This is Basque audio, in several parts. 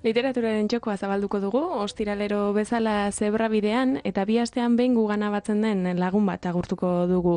Literaturaren txokoa zabalduko dugu, ostiralero bezala zebrabidean, eta bi astean behin gugana batzen den lagun bat agurtuko dugu.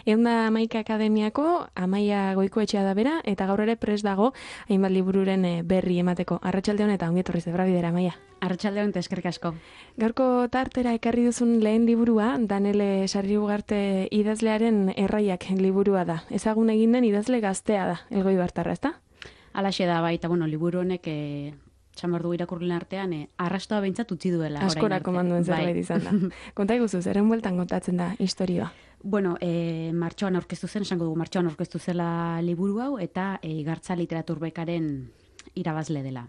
Eunda Amaika Akademiako, Amaia Goikoetxea da bera, eta gaur ere prest dago hainbat libururen berri emateko. Arratsalde on eta ongi etorri zebradidera, Amaia. Arratsalde on eta eskerrik asko. Gaurko tartera ekarri duzun lehen liburua, Danele Sarriugarte idazlearen Erraiak liburua da. Ezagun egin den idazle gaztea da, Elgoibartarra, ezta? Halaxe da baita, liburu honek txamardu irakurlen artean, arrastoa behintzat utzi duela. Askorako manduen zerbait izan da. Konta iguzu, zeren bueltan kontatzen da historioa? Martxoan aurkeztu zen, esango dugu martxoan aurkeztu zela liburu hau, eta Igartza Literaturbekaren irabazle dela.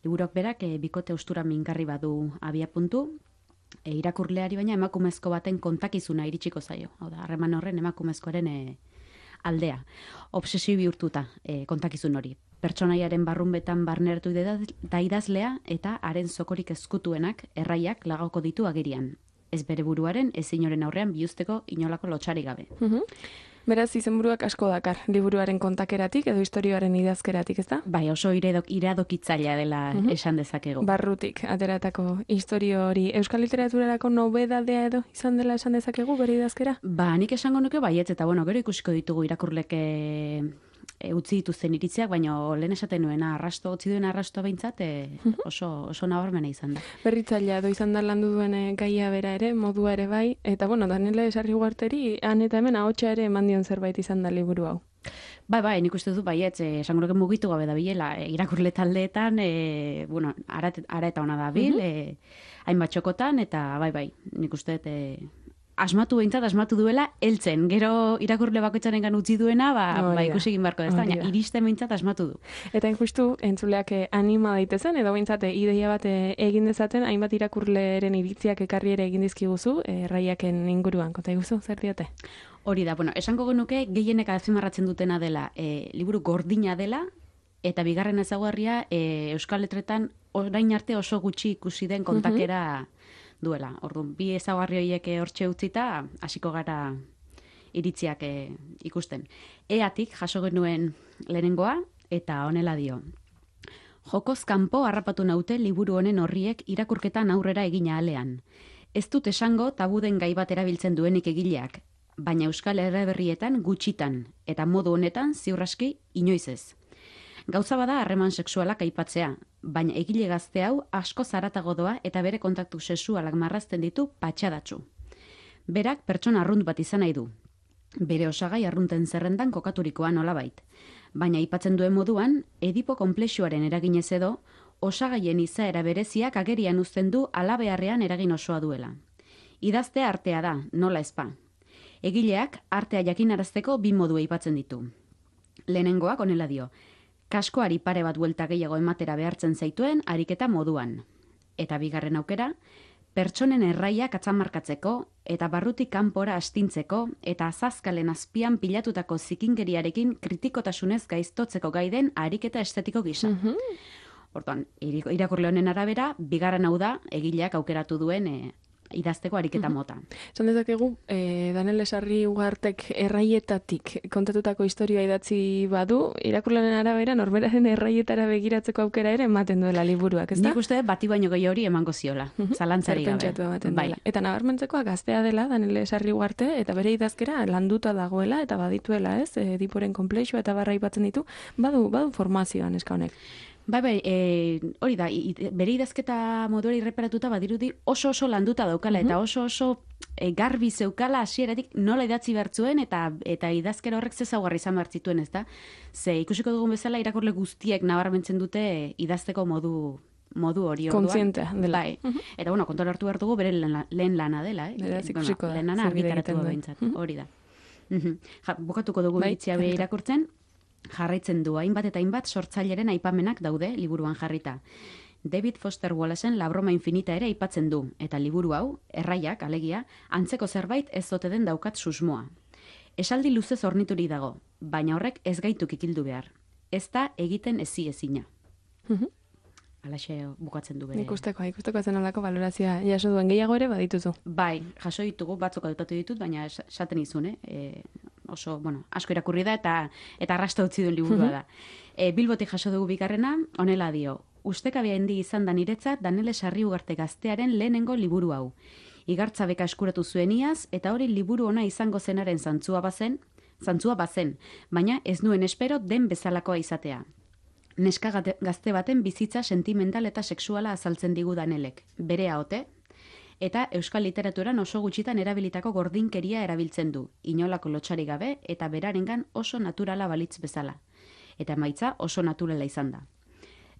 Liburuak berak, bikote austura mingarri badu abia puntu, irakurleari baina emakumezko baten kontakizuna iritsiko zaio. Hau da, harreman horren emakumezkoaren aldea. Obsesio bihurtuta kontakizun hori. Pertsonaiaren barrunbetan barneratu da idazlea eta haren zokorik ezkutuenak erraiak lagauko ditu agerian. Ez bere buruaren, ez inoren aurrean bihuzteko inolako lotxari gabe. Beraz, izenburuak asko dakar, liburuaren kontakeratik edo historioaren idazkeratik, ezta? Bai, oso iradokitzailea dela esan dezakegu. Barrutik, ateratako historio hori. Euskal literaturarako nobedadea edo izan dela esan dezakegu bere idazkera? Nik esango nuke baietz, eta gero ikusiko ditugu irakurlek utzi dituzten iritziak, baina lehen esaten nuena utzi duen arrastoa behintzat oso nabarmena izan da. Berritzailea edo izan da landu duen gaia bera ere, modua ere bai, eta Danele Sarriugarteri han eta hemen ahotsa ere eman dion zerbait izan da liburu hau. Bai, nik uste dut baietz, esango nuke mugitu gabe da bilela, irakurle taldeetan, ara eta ona da bil, hainbat txokotan, eta bai, nik uste dut asmatu duela heltzen. Gero irakurle bakoitzarengan utzi duena, ikusi egin beharko da, baina iristen behintzat asmatu du. Eta justu entzuleak anima daitezen, edo behintzat ideia bat egin dezaten, hainbat irakurleren iritziak ekarri ere egin dizkiguzu, erraiaken inguruan, konta iguzu, zer diote? Hori da, esango genuke gehienek azpimarratzen dutena dela, liburu gordina dela, eta bigarren ezaugarria Euskal Letretan orain arte oso gutxi ikusi den kontakera duela. Orduan, bi ezaugarri horiek hortxe utzita, hasiko gara iritziak ikusten. Eatik jaso genuen lehenengoa, eta honela dio. Jokoz kanpo harrapatu naute liburu honen horriek irakurketan aurrera egina alean. Ez dut esango tabuden gai bat erabiltzen duenik egileak, baina Euskal Herriberrietan gutxitan, eta modu honetan ziurraski inoiz ez. Gauza bada harreman sexualak aipatzea, baina egile gazte hau asko zaratago doa eta bere kontaktu sexualak marrazten ditu patxadatsu. Berak pertsona arrunt bat izan nahi du. Bere osagai arrunten zerrendan kokaturikoa nolabait. Baina aipatzen duen moduan, Edipo konplexuaren eraginez edo, osagaien izaera bereziak agerian uzten du alabeharrean eragin osoa duela. Idaztea artea da, nola ezpa. Egileak artea jakinarazteko bi modu aipatzen ditu. Lehenengoak honela dio. Kaskoari pare bat buelta gehiago ematera behartzen zaituen ariketa moduan. Eta bigarren aukera, pertsonen erraiak atzamarkatzeko eta barrutik kanpora astintzeko eta azazkalen azpian pilatutako zikingeriarekin kritikotasunez gaiztotzeko gaiden ariketa estetiko gisa. Orduan, irakurle honen arabera, bigarren hau da egileak aukeratu duen idazteko ariketa mota. Esan dezakegu, Danele Sarriugartek erraietatik kontatutako historia idatzi badu, irakurlaren arabera norberaren erraietara begiratzeko aukera ere ematen duela liburuak, ezta? Nik uste bati baino gehi hori emango ziola, zalantzari gabe. Zerpentsatu ematen dela. Eta nabarmentzekoa gaztea dela Danele Sarriugarte, eta bere idazkera landuta dagoela, eta badituela, ez? Ediporen konplexua eta barra aipatzen ditu, badu formazioan eska honek. Bai, hori da, bere idazketa moduari irreparatuta badirudi oso landuta daukala, eta oso garbi zeukala hasieratik nola idatzi bertzuen, eta idazkera horrek zezaugarri izan bertzituen, ez da? Ze ikusiko dugun bezala irakurle guztiek nabarmentzen dute idazteko modu hori orduan. Kontzientea dela. Bai. Eta kontuan hartu behar dugu bere lehen lana dela. Beraz ikusiko da. Lehen lana argitaratu behintzat, hori da. Bukatuko dugu iritzia be irakurtzen. Jarraitzen du hainbat eta hainbat sortzaileren aipamenak daude liburuan jarrita. David Foster Wallacen La broma infinita ere aipatzen du, eta liburu hau, erraiak, alegia, antzeko zerbait ez ote den daukat susmoa. Esaldi luzez horniturik dago, baina horrek ez gaitu kikildu behar. Ez da egiten ezina. Alaxe bukatzen du bere. Ikusteko zen olako valorazioa jaso duen gehiago ere badituzu. Bai, jaso ditugu, batzuk adoptatu ditut, baina esaten izun, oso, asko irakurri da eta arrasta utzi duen liburua da. Bilbotik jaso dugu bigarrena, honela dio. Ustekabea handi izan da niretzat Danele Sarriugarte gaztearen lehenengo liburu hau. Igartza beka eskuratu zuen iaz, eta hori liburu ona izango zenaren zantzua bazen, baina ez nuen espero den bezalakoa izatea. Neska gazte baten bizitza sentimental eta sexuala azaltzen digu Danelek, bere ahote, eta euskal literaturan oso gutxitan erabilitako gordinkeria erabiltzen du, inolako lotxari gabe eta berarengan oso naturala balitz bezala. Eta emaitza oso naturala izan da.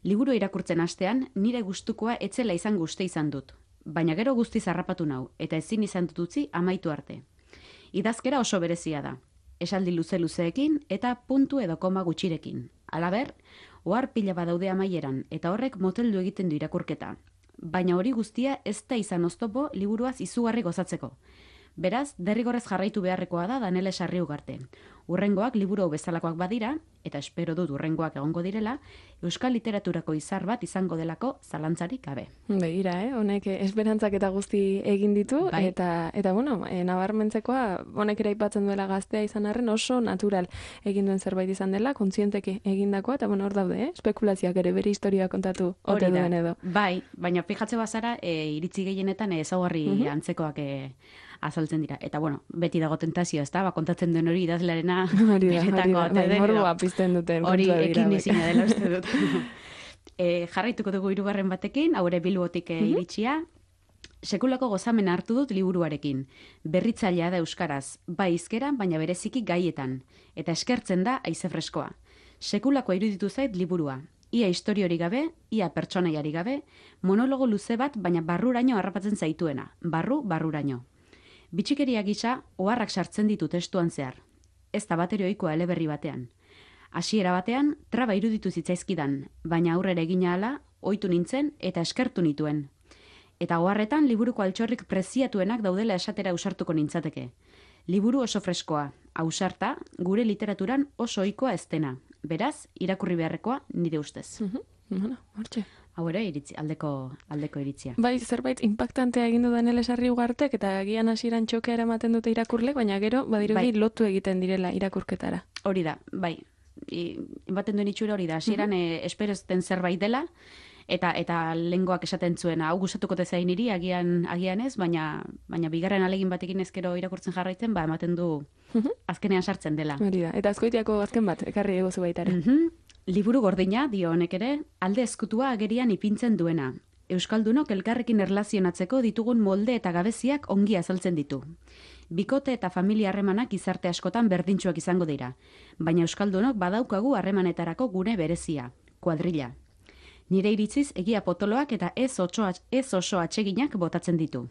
Liburu irakurtzen hastean, nire gustukoa etzela izan guste izan dut, baina gero guztiz harrapatu nau, eta ezin izan dut utzi amaitu arte. Idazkera oso berezia da, esaldi luzeekin eta puntu edo koma gutxirekin. Halaber, ohar pila badaude amaieran, eta horrek moteldu egiten du irakurketa. Baina hori guztia ez da izan oztopo liburuaz izugarri gozatzeko. Beraz, derrigorrez jarraitu beharrekoa da Danele Sarriugarte. Urrengoak liburu bezalakoak badira, eta espero dut urrengoak egongo direla, euskal literaturako izar bat izango delako zalantzarik gabe. Begira, honek esperantzak eta guzti egin ditu, bai. eta nabarmentzekoa, honek ere aipatzen duela gaztea izan arren oso natural egin duen zerbait izan dela, kontzienteki egindakoa, eta hor daude, espekulazioak ere bere historia kontatu ote duen edo. Bai, baina fijatze bazara, iritzi gehienetan ezaugarri antzekoak azaltzen dira. Eta beti dago tentazioa, ez da, kontatzen duen hori idazlarena Morboa pizten duten. Hori ekin izina dela uste dut. Jarraituko dugu hirugarren batekin, haure Bilbotik iritsia. Sekulako gozamena hartu dut liburuarekin. Berritzailea da euskaraz, bai hizkeran, baina bereziki gaietan. Eta eskertzen da haize freskoa. Sekulakoa iruditu zait liburua. Ia historiori gabe, ia pertsonaiari gabe, monologo luze bat, baina barruraino harrapatzen zaituena. Barruraino. Bitxikeria gisa, oharrak sartzen ditu testuan zehar. Ez da batere ohikoa eleberri batean. Hasiera batean, traba iruditu zitzaizkidan, baina aurrera egina hala, ohitu nintzen eta eskertu nituen. Eta oharretan liburuko altxorrik preziatuenak daudela esatera ausartuko nintzateke. Liburu oso freskoa, ausarta, gure literaturan oso ohikoa ez dena. Beraz, irakurri beharrekoa nire ustez. Hortxe. Hau ere, aldeko iritzia. Bai, zerbait impactantea egin du Danele Sarriugartek eta agian hasieran txokea eramaten dute irakurle, baina gero badirudi lotu egiten direla irakurketara. Hori da, bai. Baten duen itxura hori da. Hasieran espero ez den zerbait dela, eta lengoak esaten zuena, hau gustatuko tezain niri, agian ez, baina bigarren alegin batekin ezkero irakurtzen jarraitzen, ematen du azkenean sartzen dela. Hori da, eta Azkoitiako azken bat, ekarri egozu baitare. Liburu gordina, dio honek ere, alde ezkutua agerian ipintzen duena. Euskaldunok elkarrekin erlazionatzeko ditugun molde eta gabeziak ongi azaltzen ditu. Bikote eta familia harremanak izarte askotan berdintsuak izango dira, baina euskaldunok badaukagu harremanetarako gune berezia, kuadrilla. Nire iritziz egia potoloak eta ez oso atseginak botatzen ditu.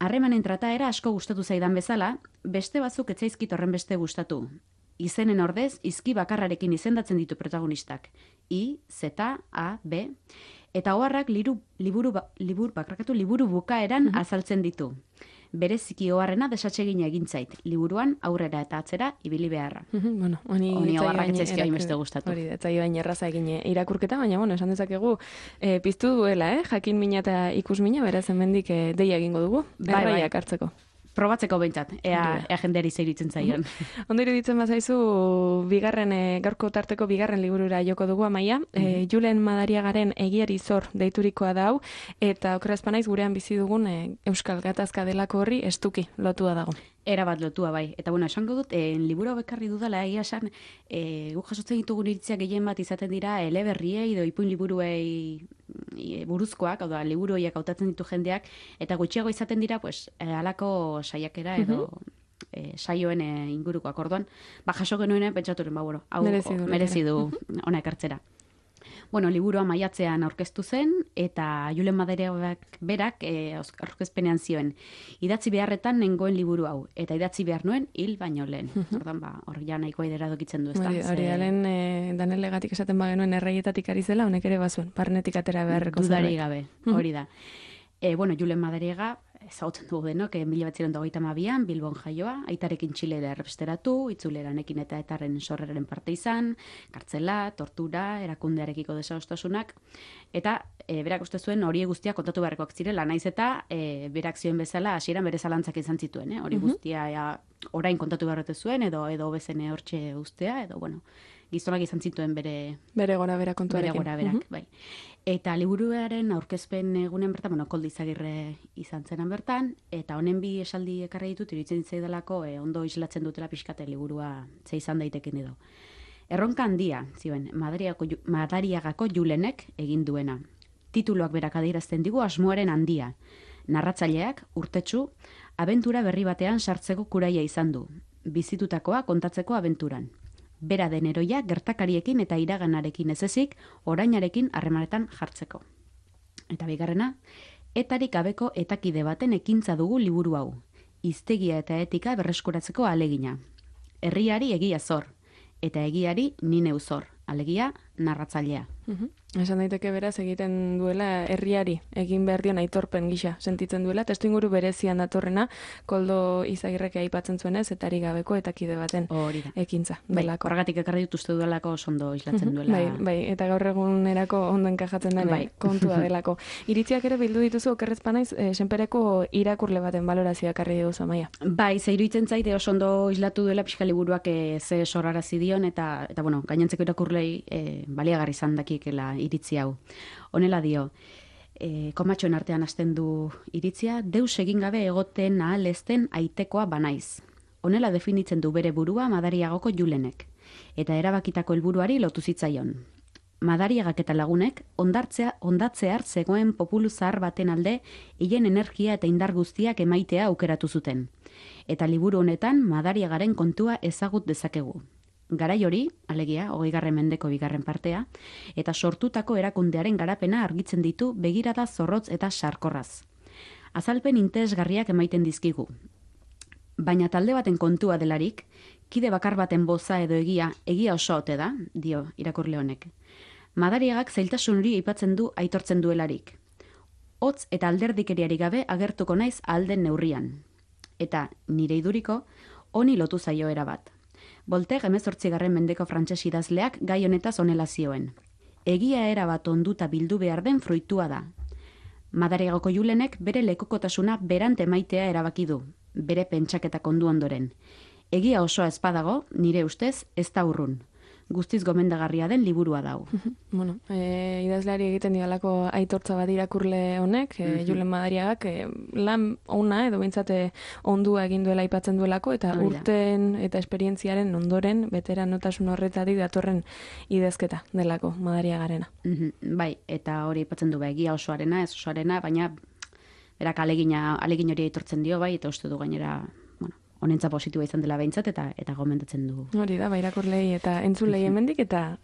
Harremanen trataera asko gustatu zaidan bezala, beste batzuk ez zaizkit horren beste gustatu. Izenen ordez, izki bakarrarekin izendatzen ditu protagonistak. I, Z, A, B. Eta oharrak liburu bukaeran azaltzen ditu. Bereziki oharrena desatsegina egin zait. Liburuan aurrera eta atzera ibili beharra. Honi oharrak etzaizkia beste gustatu. Hori, etzai baina erraza egin irakurketa, baina esan dezakegu piztu duela, jakin mina eta ikus mina, beraz hemendik deia egingo dugu, erraiak hartzeko. Probatzeko behintzat, ea jendeari zeiritzen zaion. Ondo iruditzen bazaizu, gaurko tarteko bigarren liburura joko dugu Amaia. Julen Madariagaren Egiari zor deiturikoa da hau, eta okerazpanaiz gurean bizi dugun Euskal Gatazka delako horri estuki lotua dago. Erabat lotua bai. Eta esango dut, liburu bekarri dudala, egia esan, guk jasotzen ditugun iritzia gehien bat izaten dira eleberriei edo ipuin liburuei buruzkoak, hau da, liburu horiek hautatzen ditu jendeak, eta gutxiago izaten dira, halako saiakera edo saioen ingurukoak. Orduan, jaso genuen pentsaturen, hau merezi du ona ekartzera. Liburua maiatzean aurkeztu zen, eta Julen Madariagak berak aurkezpenean zioen. Idatzi beharretan nengoen liburu hau, eta idatzi behar nuen hil baino lehen. Ordan, hor ja nahiko aidera dokitzen du, ez da? Hori alen Danelegatik esaten bagenuen erraietatik ari zela, honek ere bazuen, barnetik atera beharreko zerbait. Dudari gabe, hori da. Julen Madariaga, ezagutzen dugu denok, 1922an Bilbon jaioa, aitarekin Txilera errepresteratu, itzuleranekin eta etarren sorreraren parte izan, kartzela, tortura, erakundearekiko desadostasunak, eta berak uste zuen hori guztia kontatu beharrekoak zirela, naiz eta berak zioen bezala hasieran bere zalantzak izan zituen, hori guztia orain kontatu beharretu zuen, edo bezene hortxe ustea, edo, bueno, gizonak izan zituen bere gora bera kontuarekin. Bere gora berak, bai. Eta liburuaren aurkezpen egunen bertan, Koldo Izagirre izan zenan bertan, eta honen bi esaldi ekarri ditut, iruditzen zaidalako ondo islatzen dutela pixkate liburua ze izan daiteken edo. Erronka handia, zioen, Madariagako Julenek egin duena. Tituloak berak adierazten digu asmoaren handia. Narratzaileak, urtetsu, abentura berri batean sartzeko kuraia izan du. Bizitutakoa kontatzeko abenturan. Bera den heroia gertakariekin eta iraganarekin ez ezik, orainarekin harremanetan jartzeko. Eta bigarrena, etarik gabeko etakide baten ekintza dugu liburu hau. Hiztegia eta etika berreskuratzeko alegina. Herriari egia zor, eta egiari ni neu zor, alegia narratzailea. Esan daiteke beraz egiten duela herriari egin behar dion aitorpen gisa sentitzen duela, testuinguru berezian datorrena Koldo Izagirrek aipatzen zuenez, etarik gabeko etakide baten ekintza. Bai, horregatik ekarri dut uste duelako ondo islatzen duela. Bai, eta gaur egunerako ondo enkajatzen den kontua delako. Iritziak ere bildu dituzu okerrezpa naiz, senpereko irakurle baten balorazioa ekarri duzu, Amaia. Bai, ze iruditzen zaite oso ondo islatu duela pixka liburuak ze sorrarazi dion, eta bueno, gainontzeko irakurlei baliagarri izan dakikela iritzi hau. Honela dio, komatxoen artean hasten du iritzia, deus egin gabe egoten ahal ezten aitekoa banaiz. Honela definitzen du bere burua Madariagoko Julenek, eta erabakitako helburuari lotu zitzaion. Madariagak eta lagunek ondatzear zegoen populu zahar baten alde hien energia eta indar guztiak emaitea aukeratu zuten. Eta liburu honetan Madariagaren kontua ezagut dezakegu. Garai hori, alegia, 20. mendeko 2. partea, eta sortutako erakundearen garapena argitzen ditu begirada zorrotz eta sarkorraz. Azalpen interesgarriak emaiten dizkigu. Baina talde baten kontua delarik, kide bakar baten boza edo egia oso ote da, dio irakurle honek. Madariagak zailtasun hori aipatzen du aitortzen duelarik. Hotz eta alderdikeriari gabe agertuko naiz alden neurrian. Eta nire iduriko, honi lotu zaio erabat. Voltaire 18. mendeko frantses idazleak gai honetaz honela zioen. Egia erabat onduta bildu behar den fruitua da. Madariagoko Julenek bere lekukotasuna berante maitea erabaki du, bere pentsaketa kondu ondoren. Egia osoa ezpadago, nire ustez, ez da urrun. Guztiz gomendagarria den liburua dau. Bueno, idazleari egiten dialako aitortza bat irakurle honek, Julen Madariagak lan ona edo bintzate ondua egin duela aipatzen duelako, eta urten eta esperientziaren ondoren veteranotasun horretatik datorren idazketa delako Madariagarena. Bai, eta hori aipatzen du egia osoarena, ez osoarena, baina berak alegin hori aitortzen dio bai, eta uste du gainera honentza positiboa izan dela behintzat, eta gomendatzen du. Hori da, irakurlei eta entzulei hemendik, eta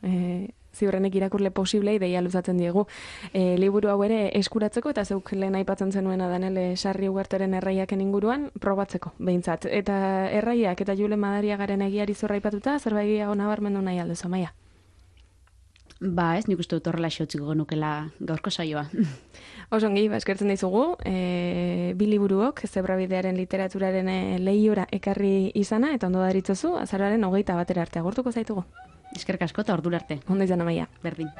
ziurrenek irakurle posiblei deia luzatzen diegu. Liburu hau ere eskuratzeko, eta zeuk lehen aipatzen zenuena Danele Sarri Ugarteren erraiaken inguruan, probatzeko, behintzat. Eta erraiak eta Julen Madariagaren egiari zorra aipatuta, zerbait gehiago nabarmendu nahi alduzu, Amaia? Ba, ez nik uste dut horrela xautziko genukela gaurko saioa. Osongi, eskertzen dizugu, bi liburuok, Zebrabidearen literaturaren lehiora ekarri izana, eta ondo daritzozu, azaroaren 21 arte agurtuko zaitugu. Eskerrik asko eta ordura arte. Ondo izan, Amaia. Berdin.